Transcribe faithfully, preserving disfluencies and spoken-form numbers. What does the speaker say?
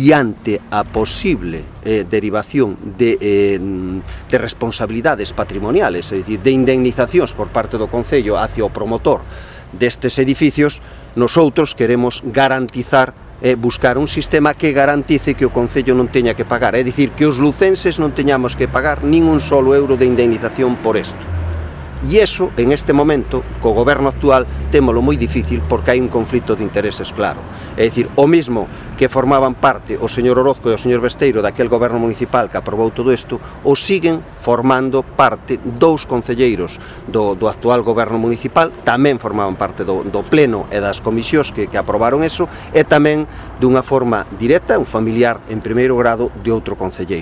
diante a posible eh, derivación de, eh, de responsabilidades patrimoniales, é dicir, de indemnizacións por parte do Concello hacia o promotor destes edificios, nosotros queremos garantizar, eh, buscar un sistema que garantice que o Concello non teña que pagar, é dicir, que os lucenses non teñamos que pagar nin un solo euro de indemnización por isto. E iso, en este momento, co goberno actual, témolo moi difícil porque hai un conflito de intereses claro. É dicir, o mismo que formaban parte o señor Orozco e o señor Besteiro daquel goberno municipal que aprobou todo isto, o siguen formando parte dous concelleiros do, do actual goberno municipal, tamén formaban parte do, do pleno e das comisións que, que aprobaron eso, e tamén dunha forma directa, un familiar en primeiro grado de outro concelleiro.